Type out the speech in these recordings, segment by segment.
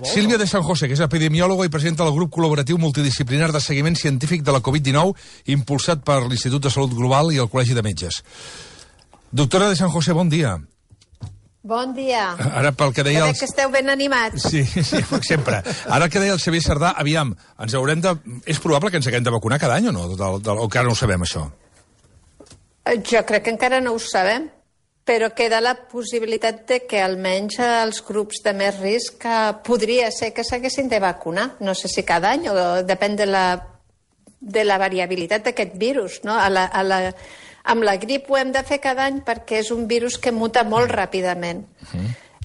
Sílvia de San José, que és epidemiòloga i presidenta del grup col·laboratiu multidisciplinar de seguiment científic de la Covid-19, impulsat per l'Institut de Salut Global i el Col·legi de Metges. Doctora de San José, bon dia. Bon dia. Ara, pel que deia... Que esteu ben animats. Sí, sempre. Ara el que deia el Xavier Sardà, aviam, ens haurem de... És probable que ens haguem de vacunar cada any o no? O encara no ho sabem, això? Jo crec que encara no ho sabem, però queda la possibilitat de que almenys els grups de més risc podria ser que s'haguessin de vacunar. No sé si cada any, o depèn de la variabilitat d'aquest virus, no? Amb la grip ho hem de fer cada any perquè és un virus que muta molt ràpidament.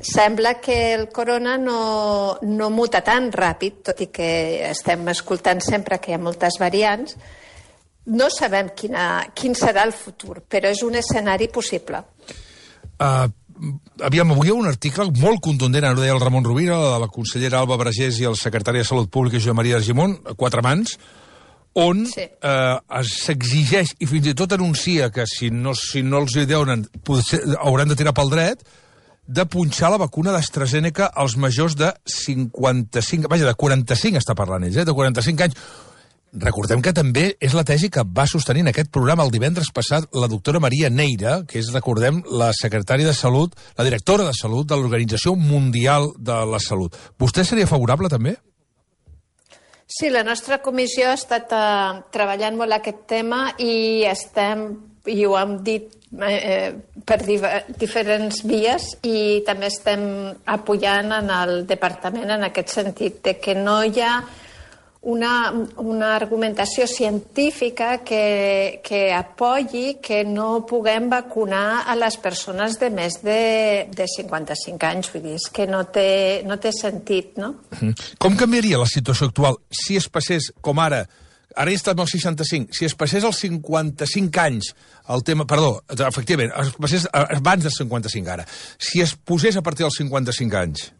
Sembla que el corona no muta tan ràpid, tot i que estem escoltant sempre que hi ha moltes variants. No sabem quin serà el futur, però és un escenari possible. Aviam, avui hi ha un article molt contundent, ara ho deia el Ramon Rovira, la consellera Alba Vergés i el secretari de Salut Pública Josep Maria Argimon, a quatre mans, on s'exigeix, i fins i tot anuncia que si no els hi donen, hauran de tirar pel dret, de punxar la vacuna d'AstraZeneca als majors de 55... Vaja, de 45 està parlant ells, de 45 anys. Recordem que també és la tesi que va sostenir en aquest programa el divendres passat la doctora Maria Neira, que és, recordem, la secretària de Salut, la directora de Salut de l'Organització Mundial de la Salut. Vostè seria favorable, també? Sí, la nostra comissió ha estat treballant molt aquest tema i ho hem dit per diferents vies i també estem apoyant en el departament en aquest sentit, de que no hi ha una argumentació científica que apoyi que no puguem vacunar a les persones de més de 55 anys. Vull dir, és que no té sentit, no? Com canviaria la situació actual si es passés, com ara ja estem als 65, si es passés als 55 anys el tema, perdó, efectivament, es passés abans dels 55 ara, si es posés a partir dels 55 anys?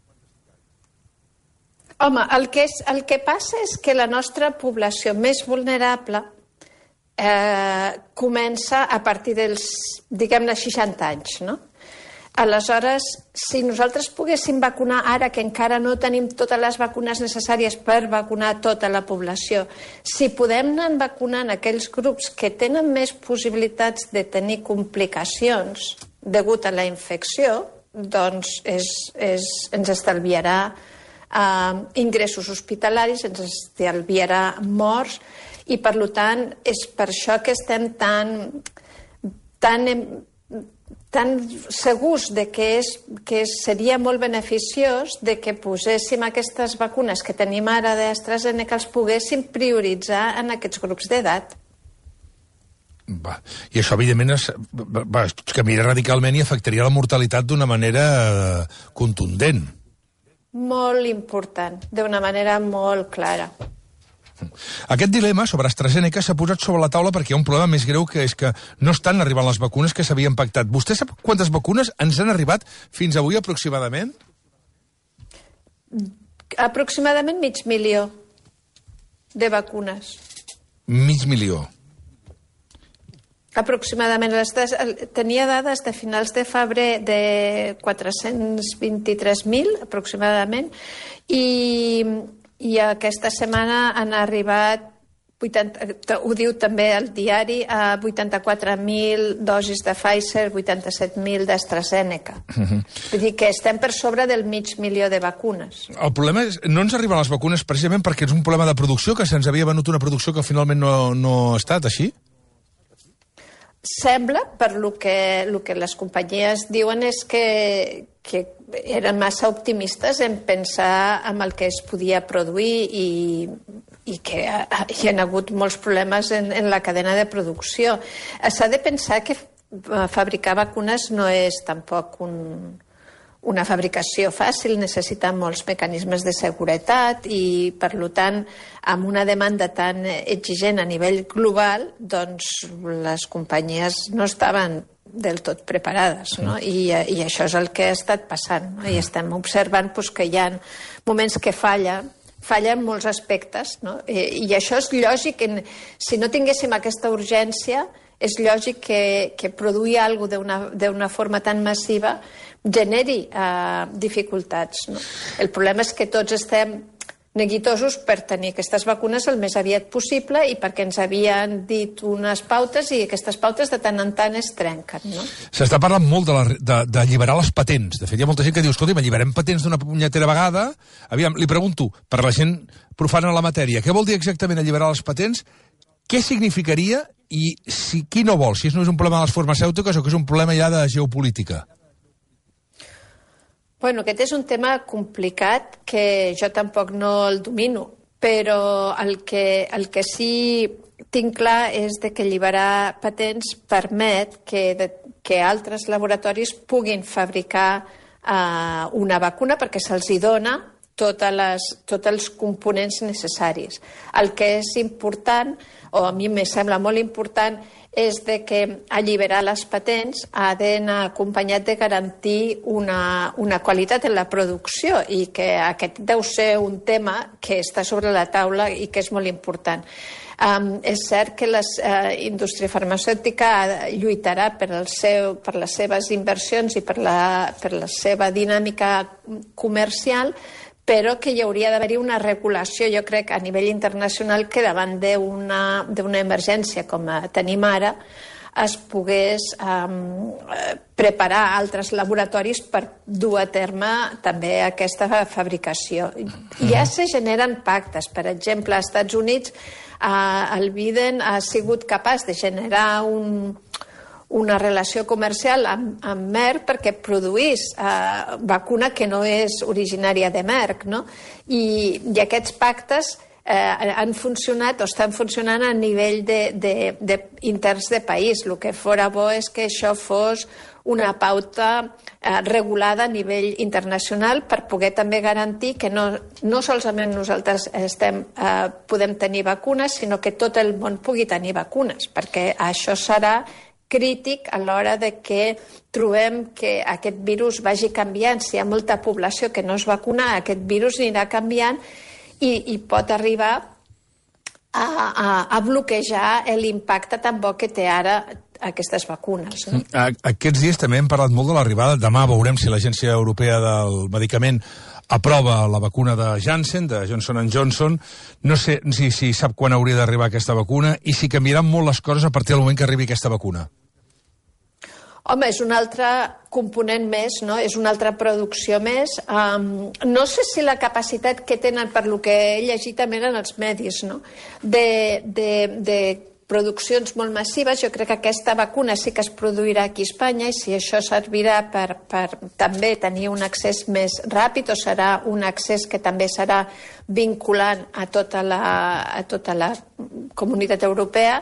Home, el que passa és que la nostra població més vulnerable comença a partir dels, diguem-ne, 60 anys, no? Aleshores, si nosaltres poguéssim vacunar ara, que encara no tenim totes les vacunes necessàries per vacunar tota la població, si podem anar vacunant aquells grups que tenen més possibilitats de tenir complicacions degut a la infecció, doncs ens estalviarà ingressos hospitalaris, ens estalviarà morts i, per tant, és per això que estem tan segurs de que seria molt beneficiós de que poséssim aquestes vacunes que tenim ara d'AstraZeneca, els poguéssim prioritzar en aquests grups d'edat. I això, evidentment, canviaria radicalment i afectaria la mortalitat d'una manera contundent. Molt important, d'una manera molt clara. Aquest dilema sobre AstraZeneca s'ha posat sobre la taula perquè hi ha un problema més greu, que és que no estan arribant les vacunes que s'havien pactat. Vostè sap quantes vacunes ens han arribat fins avui aproximadament? Aproximadament 500.000 de vacunes. 500.000. Aproximadament. Tenia dades de finals de febrer de 423.000, aproximadament, i aquesta setmana han arribat, ho diu també el diari, a 84.000 dosis de Pfizer, 87.000 d'AstraZeneca. Vull dir que estem per sobre del 500.000 de vacunes. El problema és, no ens arriben les vacunes precisament perquè és un problema de producció, que se'ns havia venut una producció que finalment no ha estat així? Sembla, per lo que les companyies diuen, és que eren massa optimistes en pensar en el que es podia produir i que hi ha hagut molts problemes en la cadena de producció. S'ha de pensar que fabricar vacunes no és tampoc una fabricació fàcil, necessita molts mecanismes de seguretat i, per tant, amb una demanda tan exigent a nivell global, doncs les companyies no estaven del tot preparades, no? I això és el que ha estat passant, no? I estem observant que hi ha moments que fallen molts aspectes, no? I això és lògic. Si no tinguéssim aquesta urgència, és lògic que produir alguna cosa d'una forma tan massiva generi dificultats. El problema és que tots estem neguitosos per tenir aquestes vacunes el més aviat possible i perquè ens havien dit unes pautes i aquestes pautes de tant en tant es trenquen. S'està parlant molt d'alliberar les patents. De fet, hi ha molta gent que diu, escolta, alliberem patents d'una punyetera vegada. Aviam, li pregunto, per la gent profana en la matèria, què vol dir exactament alliberar les patents? Què significaria i qui no vol? Si no és un problema de les farmacèutiques o que és un problema ja de geopolítica? Bueno, aquest és un tema complicat que jo tampoc no el domino, però el que sí tinc clar és que alliberar patents permet que altres laboratoris puguin fabricar una vacuna perquè se'ls dona tots els components necessaris. El que és important, o a mi me sembla molt important, és que alliberar les patents ha d'anar acompanyat de garantir una qualitat en la producció i que aquest deu ser un tema que està sobre la taula i que és molt important. És cert que la indústria farmacèutica lluitarà per les seves inversions i per la seva dinàmica comercial, però que hi hauria d'haver-hi una regulació, jo crec, a nivell internacional, que davant d'una emergència com tenim ara es pogués preparar altres laboratoris per dur a terme també aquesta fabricació. Ja se generen pactes. Per exemple, als Estats Units el Biden ha sigut capaç de generar una relació comercial amb Merck perquè produís vacuna que no és originària de Merck, no? I aquests pactes han funcionat o estan funcionant a nivell interns de país. El que fora bo és que això fos una pauta regulada a nivell internacional per poder també garantir que no solament nosaltres podem tenir vacunes, sinó que tot el món pugui tenir vacunes, perquè això serà crític a l'hora de que trobem que aquest virus vagi canviant. Si hi ha molta població que no es vacuna, aquest virus anirà canviant i pot arribar a bloquejar l'impacte tan bo que té ara aquestes vacunes. Aquests dies també hem parlat molt de l'arribada. Demà veurem si l'Agència Europea del Medicament aprova la vacuna de Janssen, de Johnson & Johnson. No sé si sap quan hauria d'arribar aquesta vacuna i si canviaran molt les coses a partir del moment que arribi aquesta vacuna. Home, és un altre component més, no? És una altra producció més. No sé si la capacitat que tenen, per lo que he llegit també en els medis, no? De produccions molt massives. Jo crec que aquesta vacuna sí que es produirà aquí a Espanya i si això servirà per també tenir un accés més ràpid o serà un accés que també serà vinculant a tota la comunitat europea,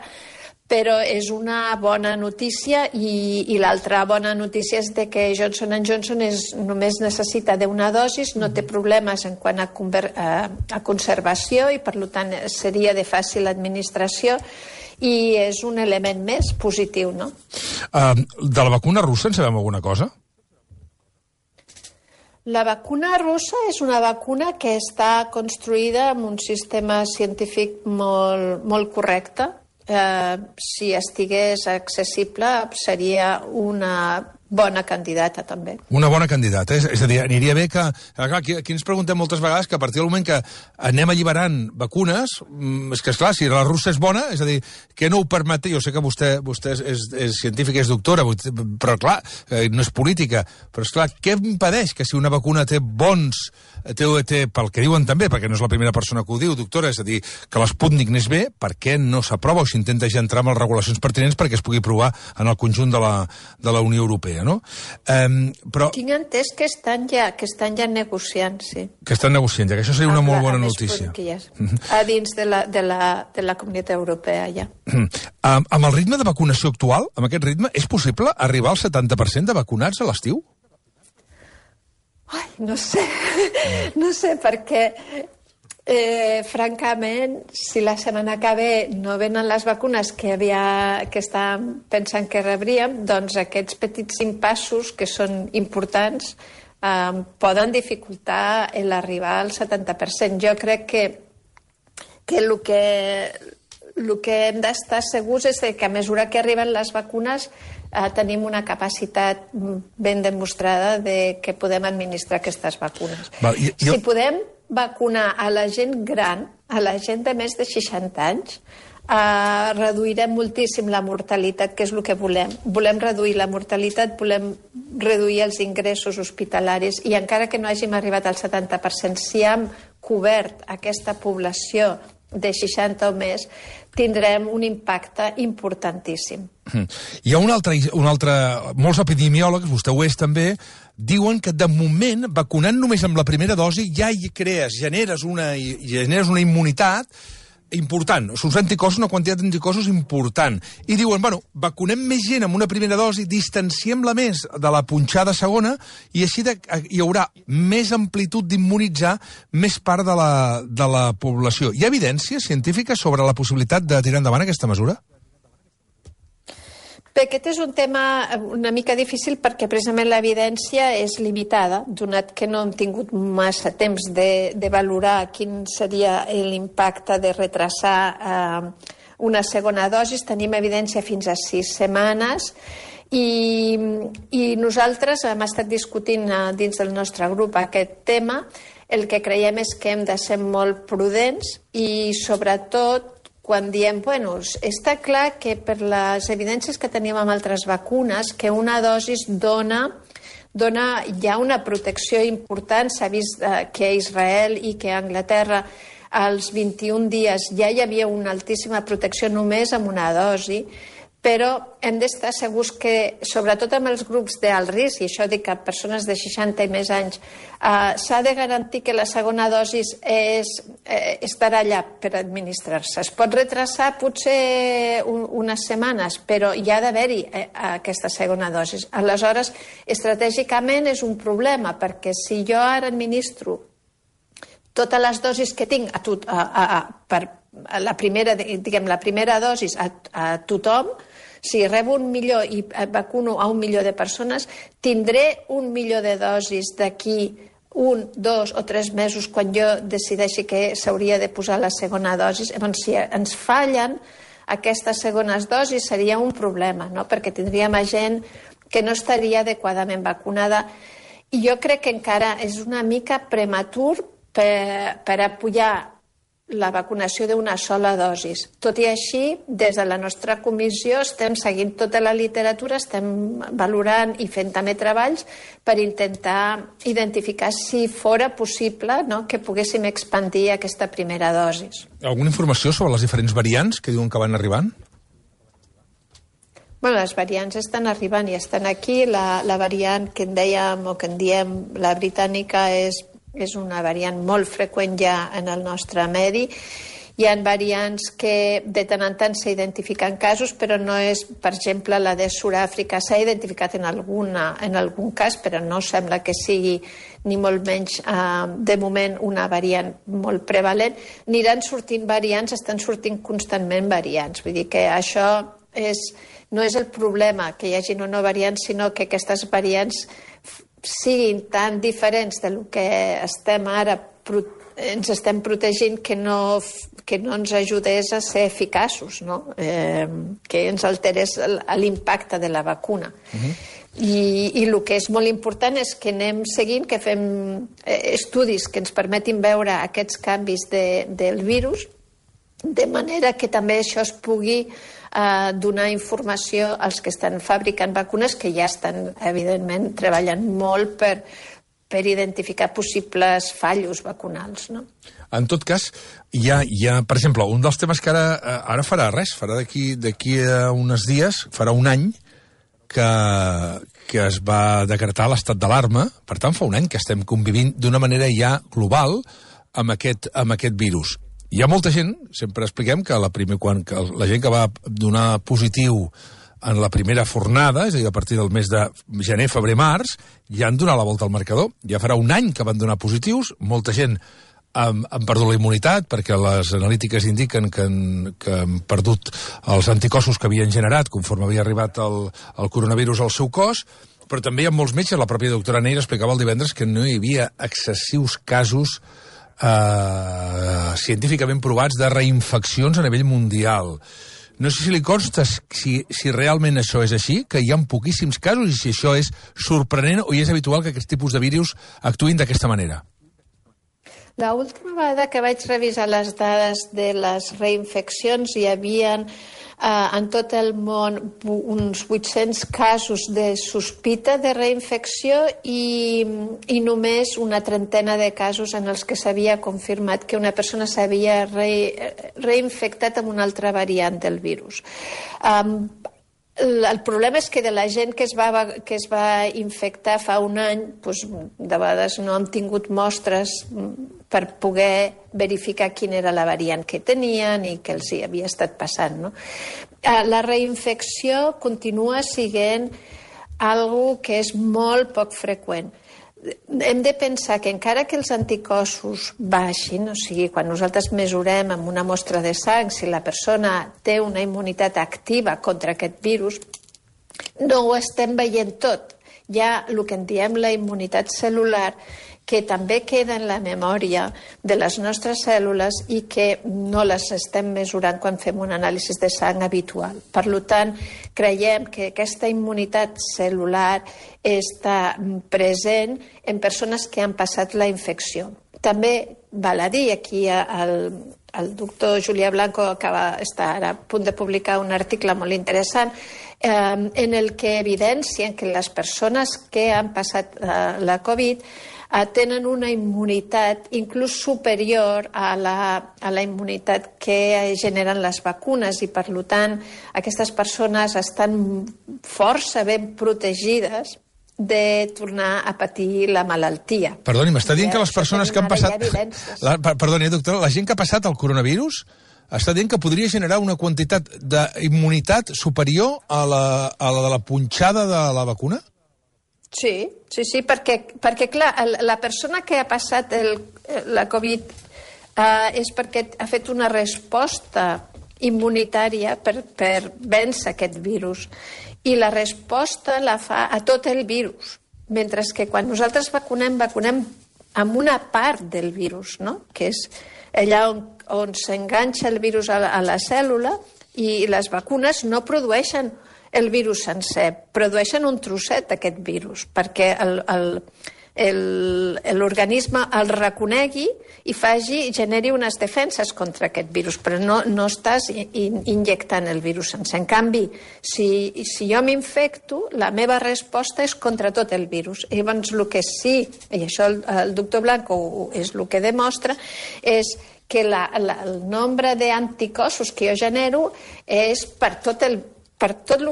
però és una bona notícia i l'altra bona notícia és que Johnson & Johnson només necessita d'una dosis, no té problemes en quant a conservació i per tant seria de fàcil administració i és un element més positiu, no? De la vacuna russa en sabem alguna cosa? La vacuna russa és una vacuna que està construïda amb un sistema científic molt correcte. Si estigués accessible seria una bona candidata també. Una bona candidata, és a dir, aniria bé que... Clar, aquí ens preguntem moltes vegades que a partir del moment que anem alliberant vacunes, és que, esclar, si la russa és bona, és a dir, que no ho permet... Jo sé que vostè és científica, és doctora, però, clar, no és política, però, esclar, què impedeix que si una vacuna té bons... pel que diuen també, perquè no és la primera persona que ho diu, doctora, és a dir, que l'Sputnik n'és bé, per què no s'aprova o s'intenta ja entrar amb les regulacions pertinents perquè es pugui provar en el conjunt de la Unió Europea, no? Però... Tinc entès que estan ja negociant, sí. Que estan negociant, ja que això seria una molt bona notícia. A dins de la Comunitat Europea, ja. Amb el ritme de vacunació actual, amb aquest ritme, és possible arribar al 70% de vacunats a l'estiu? Ai, no sé, perquè francament, si la setmana que ve no venen les vacunes que estàvem pensant que rebríem, doncs aquests petits impassos que són importants poden dificultar l'arribar al 70%. Jo crec que el que hem d'estar segurs és que a mesura que arriben les vacunes tenim una capacitat ben demostrada de que podem administrar aquestes vacunes. Si podem vacunar a la gent gran, a la gent de més de 60 anys, reduirem moltíssim la mortalitat, que és el que volem. Volem reduir la mortalitat, volem reduir els ingressos hospitalaris i encara que no hàgim arribat al 70%, si hem cobert aquesta població de 60 o més, tindrem un impacte importantíssim. Hi ha un altre... Molts epidemiòlegs, vostè ho és també, diuen que de moment, vacunant només amb la primera dosi, ja hi generes una immunitat important, són anticossos, una quantitat d'anticossos important. I diuen, bueno, vacunem més gent amb una primera dosi, distanciem-la més de la punxada segona i així hi haurà més amplitud d'immunitzar més part de la població. Hi ha evidència científica sobre la possibilitat de tirar endavant aquesta mesura? Bé, aquest és un tema una mica difícil perquè precisament l'evidència és limitada, donat que no hem tingut massa temps de valorar quin seria l'impacte de retrasar una segona dosi. Tenim evidència fins a 6 setmanes i nosaltres hem estat discutint dins del nostre grup aquest tema. El que creiem és que hem de ser molt prudents i sobretot quan diem, bueno, està clar que per les evidències que tenim amb altres vacunes, que una dosi dona ja una protecció important. S'ha vist que a Israel i que a Anglaterra als 21 dies ja hi havia una altíssima protecció només amb una dosi, però hem d'estar segurs que, sobretot amb els grups d'alt risc, i això dic a persones de 60 i més anys, s'ha de garantir que la segona dosi estarà allà per administrar-se. Es pot retrasar potser unes setmanes, però hi ha d'haver-hi aquesta segona dosi. Aleshores, estratègicament és un problema, perquè si jo ara administro totes les dosis que tinc per la primera dosi a tothom, si rebo 1 milió i vacuno a 1 milió de persones, tindré 1 milió de dosis d'aquí 1, 2 o 3 mesos quan jo decideixi que s'hauria de posar la segona dosi. Llavors, si ens fallen aquestes segones dosis seria un problema, no? Perquè tindríem gent que no estaria adequadament vacunada. I jo crec que encara és una mica prematur per apoyar la vacunació d'una sola dosi. Tot i així, des de la nostra comissió estem seguint tota la literatura, estem valorant i fent també treballs per intentar identificar si fora possible que poguéssim expandir aquesta primera dosi. Alguna informació sobre les diferents variants que diuen que van arribant? Bueno, les variants estan arribant i estan aquí. La variant que en dèiem o que en diem la britànica és una variant molt freqüent ja en el nostre medi. Hi ha variants que de tant en tant s'identifiquen casos, però no és, per exemple, la de Sud-àfrica. S'ha identificat en algun cas, però no sembla que sigui ni molt menys, de moment, una variant molt prevalent. Aniran sortint variants, estan sortint constantment variants. Vull dir que això no és el problema, que hi hagi una variant, sinó que aquestes variants siguin tan diferents del que estem ara, ens estem protegint, que no ens ajudés a ser eficaços, no? Que ens alterés l'impacte de la vacuna. I el que és molt important és que anem seguint, que fem estudis que ens permetin veure aquests canvis del virus, de manera que també això es pugui donar informació als que estan fabricant vacunes, que ja estan, evidentment, treballant molt per identificar possibles fallos vacunals, no? En tot cas, hi ha, per exemple, un dels temes que ara farà d'aquí a uns dies, farà un any, que es va decretar l'estat d'alarma. Per tant, fa un any que estem convivint d'una manera ja global amb aquest virus. Hi ha molta gent, sempre expliquem, que quan la gent que va donar positiu en la primera fornada, és a dir, a partir del mes de gener, febrer, març, ja han donat la volta al marcador. Ja farà un any que van donar positius, molta gent han perdut la immunitat, perquè les analítiques indiquen que han perdut els anticossos que havien generat conforme havia arribat el coronavirus al seu cos, però també hi ha molts metges, la pròpia doctora Neira explicava el divendres que no hi havia excessius casos científicament provats de reinfeccions a nivell mundial. No sé si li consta si realment això és així, que hi ha poquíssims casos i si això és sorprenent o és habitual que aquests tipus de virus actuïn d'aquesta manera. L'última vegada que vaig revisar les dades de les reinfeccions hi havia en tot el món uns 800 casos de sospita de reinfecció i només una trentena de casos en els que s'havia confirmat que una persona s'havia reinfectat amb una altra variant del virus. El problema és que de la gent que es va infectar fa un any, doncs, de vegades no hem tingut mostres per poder verificar quina era la variant que tenien i què els hi havia estat passant, no? La reinfecció continua sent algo que és molt poc freqüent. Hem de pensar que encara que els anticossos baixin, o sigui, quan nosaltres mesurem amb una mostra de sang si la persona té una immunitat activa contra aquest virus, no ho estem veient tot. Hi ha el que en diem la immunitat cel·lular, que també queda en la memòria de les nostres cèl·lules i que no les estem mesurant quan fem un anàlisi de sang habitual. Per tant, creiem que aquesta immunitat cel·lular està present en persones que han passat la infecció. També val a dir, aquí el doctor Julià Blanco està ara a punt de publicar un article molt interessant en el que evidencien que les persones que han passat la Covid tenen una immunitat inclús superior a la immunitat que generen les vacunes i, per tant, aquestes persones estan força ben protegides de tornar a patir la malaltia. Perdoni, m'està dient que les persones que han passat... Perdoni, doctora, la gent que ha passat el coronavirus està dient que podria generar una quantitat d'immunitat superior a la de la punxada de la vacuna? Sí, perquè clar, la persona que ha passat la Covid és perquè ha fet una resposta immunitària per vèncer aquest virus. I la resposta la fa a tot el virus, mentre que quan nosaltres vacunem amb una part del virus, no? Que és allà on s'enganxa el virus a la cèl·lula, i les vacunes no produeixen el virus sencer, produeixen un trosset d'aquest virus, perquè l'organisme el reconegui i generi unes defenses contra aquest virus, però no estàs injectant el virus sencer. En canvi, si jo m'infecto, la meva resposta és contra tot el virus. I llavors el que sí, i això el doctor Blanco és el que demostra, és que el nombre d'anticossos que jo genero és per tot el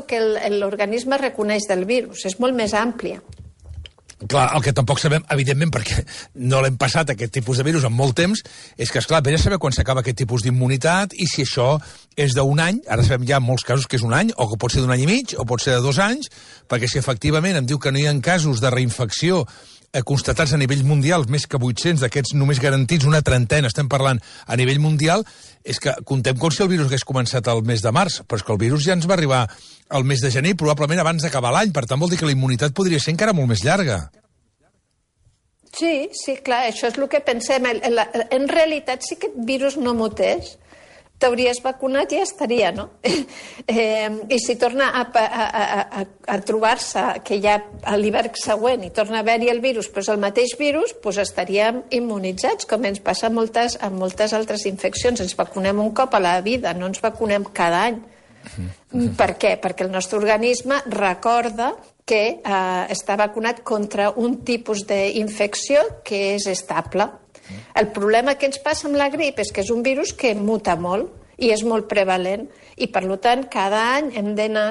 que l'organisme reconeix del virus. És molt més àmplia. Clar, el que tampoc sabem, evidentment, perquè no l'hem passat aquest tipus de virus en molt temps, és que, esclar, vés a saber quan s'acaba aquest tipus d'immunitat i si això és d'un any, ara sabem ja en molts casos que és un any, o que pot ser d'un any i mig, o pot ser de 2 anys, perquè si efectivament em diu que no hi ha casos de reinfecció constatats a nivell mundial, més que 800 d'aquests només garantits, una trentena, estem parlant a nivell mundial, és que contem com si el virus hagués començat el mes de març, però és que el virus ja ens va arribar al mes de gener, probablement abans d'acabar l'any, per tant vol dir que la immunitat podria ser encara molt més llarga. Sí, clar, això és el que pensem. En realitat, si aquest virus no mutés, t'hauries vacunat i ja estaria, no? I si torna a trobar-se que ja a l'hivern següent i torna a haver-hi el virus, però és el mateix virus, doncs estaríem immunitzats, com ens passa amb moltes altres infeccions. Ens vacunem un cop a la vida, no ens vacunem cada any. Per què? Perquè el nostre organisme recorda que està vacunat contra un tipus d'infecció que és estable. El problema que ens passa amb la grip és que és un virus que muta molt i és molt prevalent i, per tant, cada any hem d'anar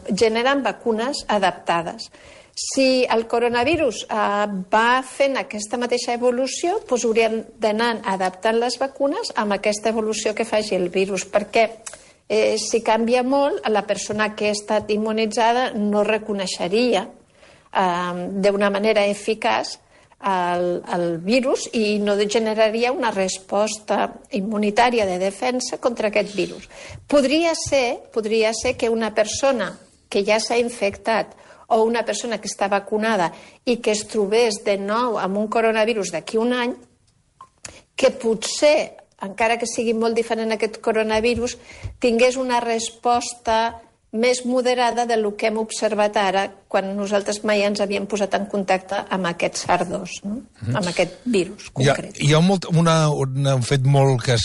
generant vacunes adaptades. Si el coronavirus va fent aquesta mateixa evolució, doncs hauríem d'anar adaptant les vacunes amb aquesta evolució que faci el virus, perquè si canvia molt, la persona que ha estat immunitzada no reconeixeria d'una manera eficaç el virus i no generaria una resposta immunitària de defensa contra aquest virus. Podria ser que una persona que ja s'ha infectat o una persona que està vacunada i que es trobés de nou amb un coronavirus d'aquí un any que potser, encara que sigui molt diferent aquest coronavirus, tingués una resposta més moderada del que hem observat ara quan nosaltres mai ens havíem posat en contacte amb aquest SARS-2, no? Amb aquest virus concret. Hi ha un fet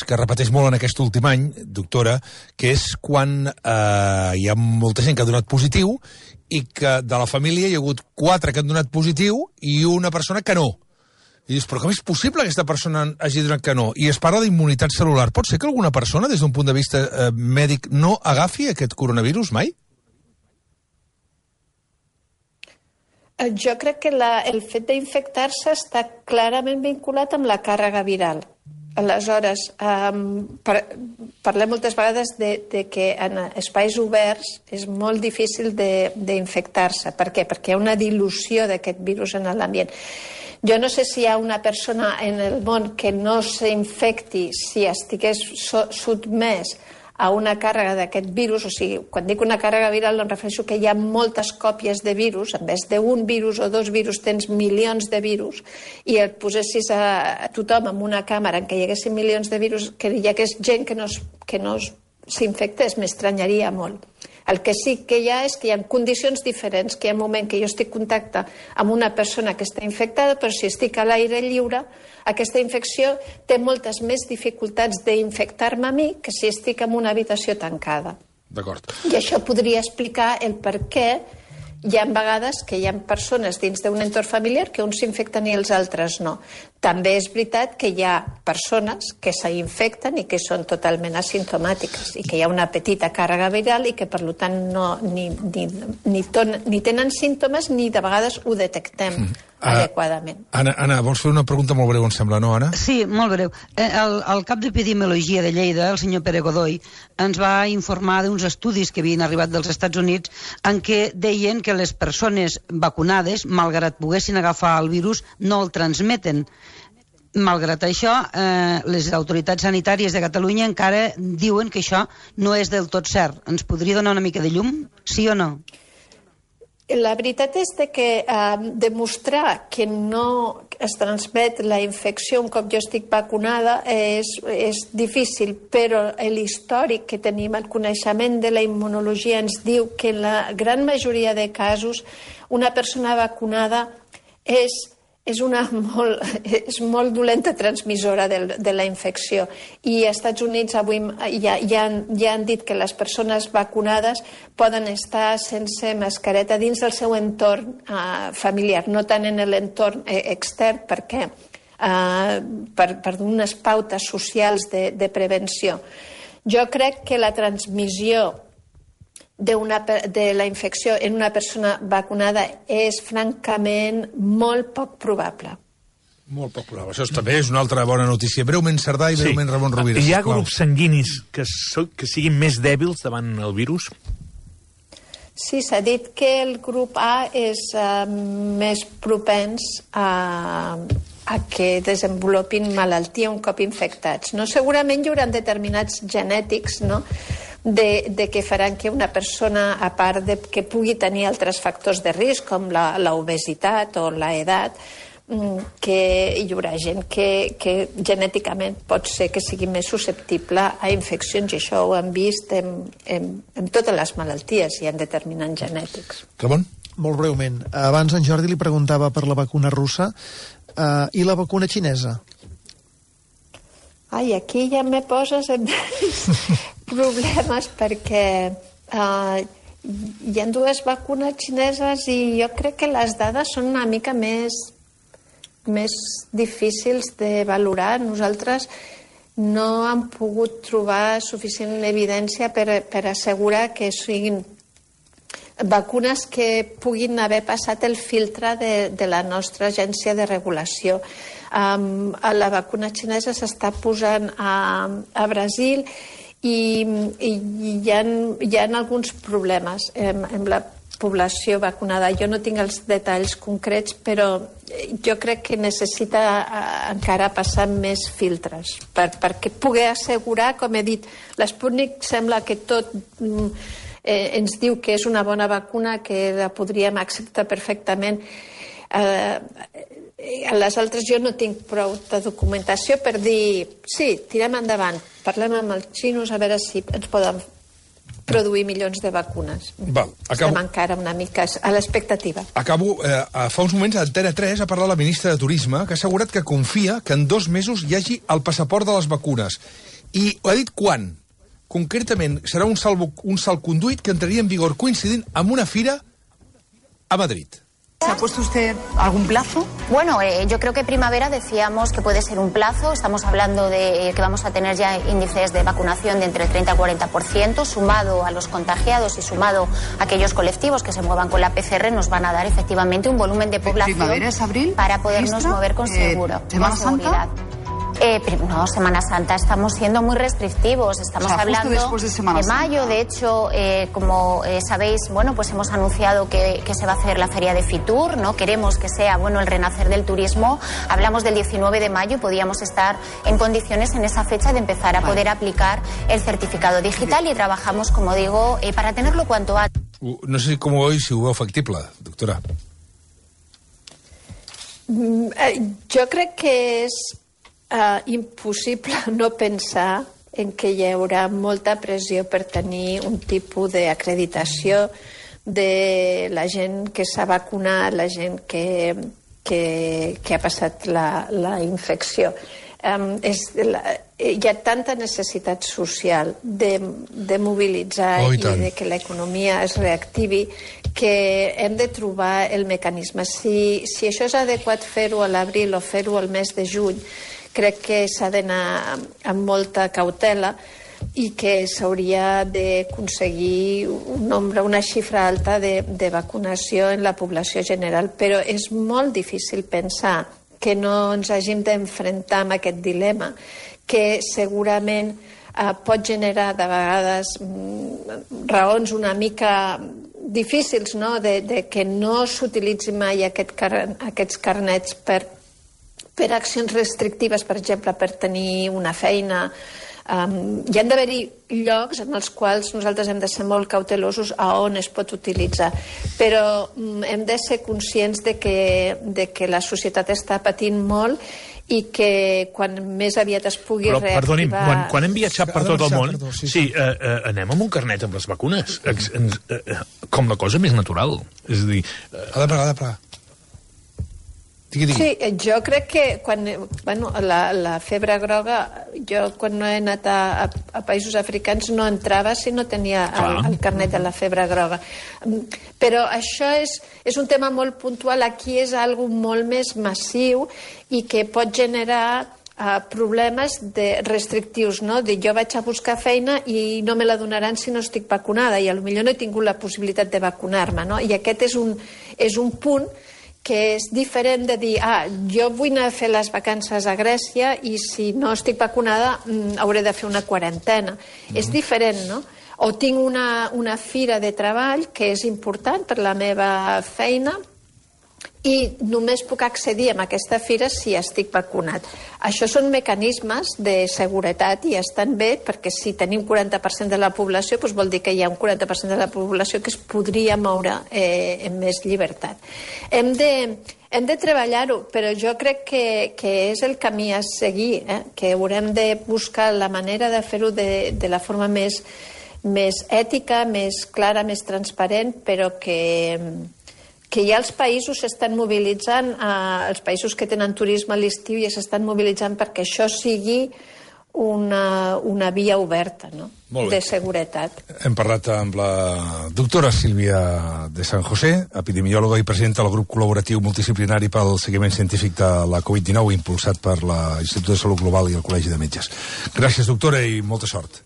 que repeteix molt en aquest últim any, doctora, que és quan hi ha molta gent que ha donat positiu i que de la família hi ha hagut 4 que han donat positiu i una persona que no. I dius, però com és possible que aquesta persona hagi donat que no? I es parla d'immunitat celular. Pot ser que alguna persona, des d'un punt de vista mèdic, no agafi aquest coronavirus mai? Jo crec que el fet d'infectar-se està clarament vinculat amb la càrrega viral. Aleshores, parlem moltes vegades de que en espais oberts és molt difícil d'infectar-se. Per què? Perquè hi ha una dilució d'aquest virus en l'ambient. Jo no sé si hi ha una persona en el món que no s'infecti si estigués sotmès a una càrrega d'aquest virus. O sigui, quan dic una càrrega viral em refereixo que hi ha moltes còpies de virus. En vez d'un virus o 2 virus tens milions de virus i et posessis a tothom en una càmera en què hi haguessin milions de virus, que hi hagués gent que no s'infectés, m'estranyaria molt. El que sí que hi ha és que hi ha condicions diferents, que hi ha un moment que jo estic en contacte amb una persona que està infectada, però si estic a l'aire lliure, aquesta infecció té moltes més dificultats d'infectar-me a mi que si estic en una habitació tancada. D'acord. I això podria explicar el per què hi ha vegades que hi ha persones dins d'un entorn familiar que uns s'infecten i els altres no. També és veritat que hi ha persones que s'infecten i que són totalment asimptomàtiques i que hi ha una petita càrrega viral i que per tant ni tenen símptomes ni de vegades ho detectem adequadament. Anna, vols fer una pregunta molt breu, em sembla, no, Anna? Sí, molt breu. El cap d'Epidemiologia de Lleida, el senyor Pere Godoy, ens va informar d'uns estudis que havien arribat dels Estats Units en què deien que les persones vacunades, malgrat poguessin agafar el virus, no el transmeten. Malgrat això, les autoritats sanitàries de Catalunya encara diuen que això no és del tot cert. Ens podria donar una mica de llum? Sí o no? La veritat és que demostrar que no es transmet la infecció un cop jo estic vacunada és difícil, però l'històric que tenim, el coneixement de la immunologia ens diu que en la gran majoria de casos una persona vacunada és molt dolenta transmissora de la infecció. I als Estats Units avui ja han dit que les persones vacunades poden estar sense mascareta dins del seu entorn familiar, no tant en l'entorn extern, perquè per unes pautes socials de prevenció. Jo crec que la transmissió de la infecció en una persona vacunada és francament molt poc probable. Molt poc probable. Això també és una altra bona notícia. Breument Cerdà i breument Ramon Rovira. Hi ha grups sanguinis que siguin més dèbils davant el virus? Sí, s'ha dit que el grup A és més propens a que desenvolupin malaltia un cop infectats. No? Segurament hi haurà determinats genètics, no?, de que faran que una persona, a part de que pugui tenir altres factors de risc, com l'obesitat o l'edat, que hi haurà gent que genèticament pot ser que sigui més susceptible a infeccions, i això ho hem vist en totes les malalties, hi ha determinants genètics. Ramon? Molt breument. Abans en Jordi li preguntava per la vacuna russa i la vacuna xinesa. Ai, aquí ja me poses en problemes perquè hi ha 2 vacunes xineses i jo crec que les dades són una mica més difícils de valorar. Nosaltres no hem pogut trobar suficient evidència per assegurar que siguin vacunes que puguin haver passat el filtre de la nostra agència de regulació. La vacuna xinesa s'està posant a Brasil i hi ha alguns problemes amb la població vacunada. Jo no tinc els detalls concrets, però jo crec que necessita encara passar més filtres perquè pugui assegurar, com he dit, l'Sputnik sembla que tot ens diu que és una bona vacuna, que la podríem acceptar perfectament. a les altres jo no tinc prou de documentació per dir, sí, tirem endavant, parlem amb els xinos a veure si ens poden produir milions de vacunes. Estem encara una mica a l'expectativa. Acabo. Fa uns moments a Antena 3 ha parlat la ministra de Turisme, que ha assegurat que confia que en 2 mesos hi hagi el passaport de les vacunes. I ha dit quan. Concretament, serà un salconduit que entraria en vigor coincidint amb una fira a Madrid. ¿Se ha puesto usted algún plazo? Bueno, yo creo que primavera decíamos que puede ser un plazo. Estamos hablando de que vamos a tener ya índices de vacunación de entre el 30 y 40%, sumado a los contagiados y sumado a aquellos colectivos que se muevan con la PCR, nos van a dar efectivamente un volumen de población. ¿Primavera es abril? Para podernos mover con seguridad. No, Semana Santa estamos siendo muy restrictivos. Estamos hablando de mayo. De hecho, como sabéis, bueno, pues hemos anunciado que se va a hacer la feria de Fitur, ¿no? Queremos que sea, bueno, el renacer del turismo. Hablamos del 19 de mayo, podíamos estar en condiciones en esa fecha de empezar a poder aplicar el certificado digital y trabajamos, como digo, para tenerlo cuanto antes. No sé com ho veus, si ho veu factible, doctora. Jo crec que és impossible no pensar en que hi haurà molta pressió per tenir un tipus d'acreditació de la gent que s'ha vacunat, la gent que ha passat la infecció. Hi ha tanta necessitat social de mobilitzar i de que l'economia es reactivi que hem de trobar el mecanisme. Si això és adequat fer-ho a l'abril o fer-ho al mes de juny, crec que s'ha d'anar amb molta cautela i que s'hauria d'aconseguir una xifra alta de vacunació en la població general. Però és molt difícil pensar que no ens hàgim d'enfrontar amb aquest dilema, que segurament pot generar de vegades raons una mica difícils, no?, de que no s'utilitzi mai aquests carnets per accions restrictives, per exemple, per tenir una feina. Hi han d'haver-hi llocs en els quals nosaltres hem de ser molt cautelosos a on es pot utilitzar, però hem de ser conscients de que la societat està patint molt i que quan més aviat es pugui reactivar... Però, perdoni'm, quan hem viatjat per tot el món, anem amb un carnet amb les vacunes, com la cosa més natural. És a dir... Ha de pagar. Sí, jo crec que la febre groga, jo quan no he anat a països africans no entrava si no tenia el carnet de la febre groga. Però això és un tema molt puntual, aquí és algo molt més massiu i que pot generar problemes restrictius, no? De jo vaig a buscar feina i no me la donaran si no estic vacunada i potser no he tingut la possibilitat de vacunar-me, no? I aquest és un punt que és diferent de dir, jo vull anar a fer les vacances a Grècia i si no estic vacunada hauré de fer una quarantena. És diferent, no? O tinc una fira de treball que és important per la meva feina i només puc accedir a aquesta fira si estic vacunat. Això són mecanismes de seguretat i estan bé perquè si tenim 40% de la població doncs vol dir que hi ha un 40% de la població que es podria moure amb més llibertat. Hem de treballar-ho, però jo crec que és el camí a seguir, que haurem de buscar la manera de fer-ho de la forma més ètica, més clara, més transparent, però que ja els països s'estan mobilitzant, els països que tenen turisme a l'estiu ja s'estan mobilitzant perquè això sigui una via oberta, no?, de seguretat. Hem parlat amb la doctora Sílvia de San José, epidemiòloga i presidenta del grup col·laboratiu multidisciplinari pel seguiment científic de la Covid-19 impulsat per l'Institut de Salut Global i el Col·legi de Metges. Gràcies, doctora, i molta sort.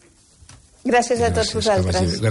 Gràcies a tots vosaltres.